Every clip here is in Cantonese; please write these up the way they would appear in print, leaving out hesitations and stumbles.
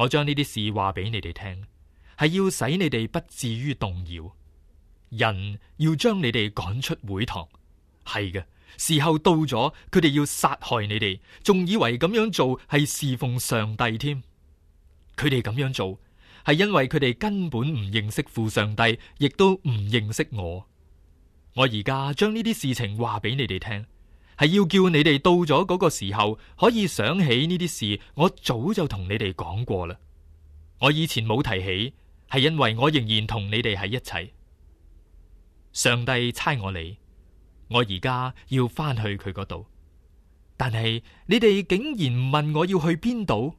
我將呢啲事話俾你哋聽，係要使你哋不至於動搖。人要將你哋趕出會堂，係嘅，時候到咗，佢哋要殺害你哋，仲以為咁樣做係侍奉上帝添。佢哋咁樣做係因為佢哋根本唔認識父上帝，亦都唔認識我。我而家將呢啲事情話俾你哋聽，係要叫你哋到咗嗰個時候可以想起呢啲事，我早就同你哋講過啦。我以前冇提起，係因為我仍然同你哋喺一齊。上帝差我嚟，我而家要翻去佢嗰度，但係你哋竟然唔問我要去邊度，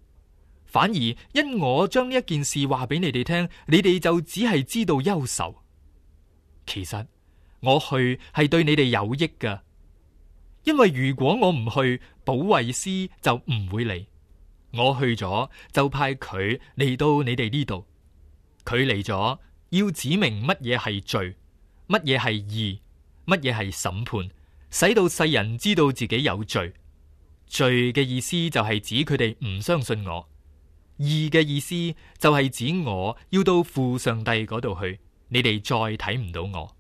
反而因我將呢一件事話俾你哋聽，你哋就只係知道憂愁。其實我去係對你哋有益㗎，因為如果我唔去，保惠師就唔會嚟。我去咗就派佢嚟到你哋呢度，佢嚟咗要指明乜嘢係罪，乜嘢係義，乜嘢係審判，使到世人知道自己有罪。罪嘅意思就係指佢哋唔相信我，義嘅意思就係指我要到父上帝嗰度去，你哋再睇唔到我。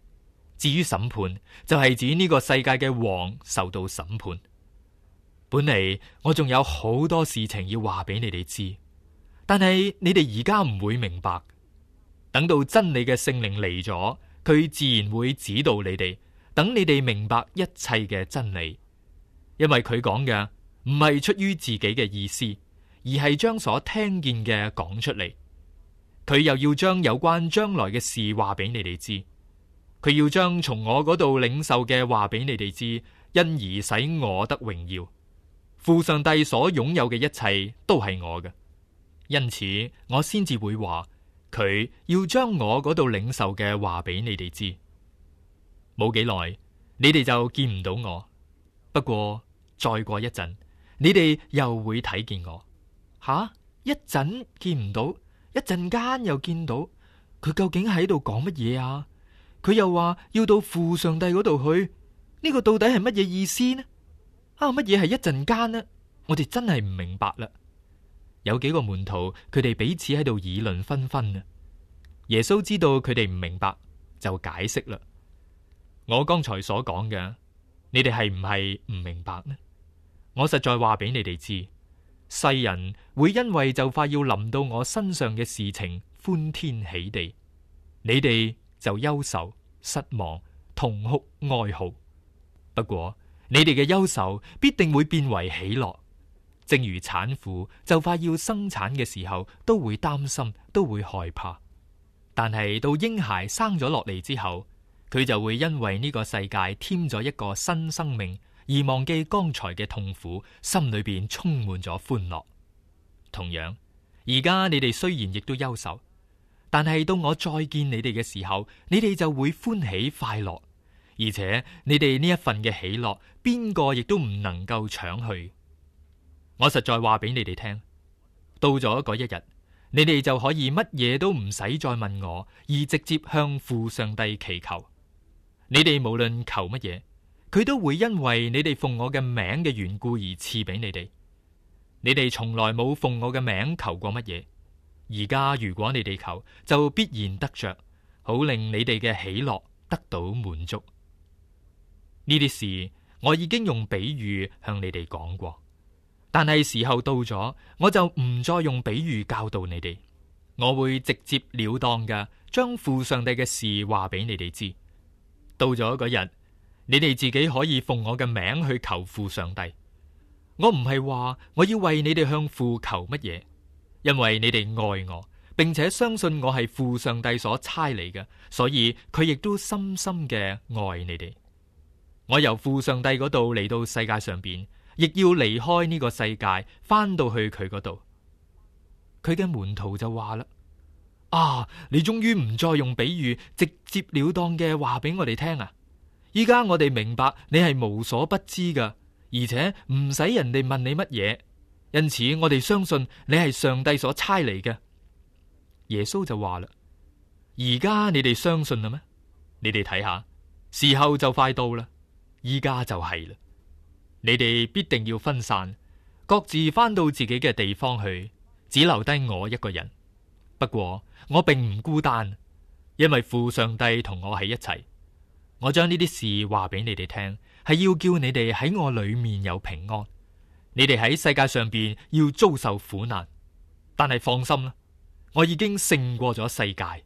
至於審判，就係指呢個世界嘅王受到審判。本嚟我仲有好多事情要話俾你哋知，但係你哋而家唔會明白。等到真理嘅聖靈嚟咗，佢自然會指導你哋，等你哋明白一切嘅真理。因為佢講嘅唔係出於自己嘅意思，而係將所聽見嘅講出嚟。佢又要將有關將來嘅事話俾你哋知。佢要將從我嗰度領受嘅話俾你哋知，因而使我得榮耀。父上帝所擁有嘅一切都係我嘅，因此我先至會話佢要將我嗰度領受嘅話俾你哋知。冇幾耐，你哋就見唔到我。不過再過一陣，你哋又會睇見我。一陣見唔到，一陣間又見到，佢究竟喺度講乜嘢啊？佢又話要到父上帝嗰度去，呢個到底係乜嘢意思呢？乜嘢係一陣間呢？我哋真係唔明白啦。有幾個門徒，佢哋彼此喺度議論紛紛啊。耶穌知道佢哋唔明白，就解釋啦。我剛才所講嘅，你哋係唔係唔明白呢？我實在話俾你哋知，世人會因為就快要臨到我身上嘅事情歡天喜地，你哋就憂愁、失望、痛哭、哀號。不過你哋嘅憂愁必定會變為喜樂，正如產婦就快要生產嘅時候都會擔心，都會害怕。但係到嬰孩生咗落嚟之後，佢就會因為呢個世界添咗一個新生命，而忘記剛才嘅痛苦，心裏邊充滿咗歡樂。同樣，而家你哋雖然亦都憂愁，但係到我再見你哋嘅時候，你哋就會歡喜快樂，而且你哋呢一份嘅喜樂，邊個亦都唔能夠搶去。我實在話俾你哋聽，到咗嗰一日，你哋就可以乜嘢都唔使再問我，而直接向父上帝祈求。你哋無論求乜嘢，佢都會因為你哋奉我嘅名嘅緣故而賜俾你哋。你哋從來冇奉我嘅名求過乜嘢，而家如果你哋求，就必然得着，好令你哋嘅喜樂得到滿足。呢啲事我已經用比喻向你哋講過，但係時候到咗，我就唔再用比喻教導你哋，我會直接了當嘅將父上帝嘅事話俾你哋知。到咗嗰日，你哋自己可以奉我嘅名去求父上帝。我唔係話我要為你哋向父求乜嘢，因為你哋愛我，並且相信我係父上帝所差嚟嘅，所以佢亦都深深嘅愛你哋。我由父上帝嗰度嚟到世界上邊，亦要離開呢個世界，翻到去佢嗰度。佢嘅門徒就話啦：你終於唔再用比喻，直接了當嘅話俾我哋聽啊！依家我哋明白你係無所不知噶，而且唔使人哋問你乜嘢，因此我哋相信你係上帝所差嚟嘅。耶穌就話啦：而家你哋相信啦咩？你哋睇下，時候就快到啦，依家就係啦。你哋必定要分散，各自翻到自己嘅地方去，只留低我一個人。不過我並唔孤單，因為父上帝同我喺一齊。我將呢啲事話俾你哋聽，係要叫你哋喺我裏面有平安。你哋喺世界上邊要遭受苦難，但係放心啦，我已經勝過咗世界。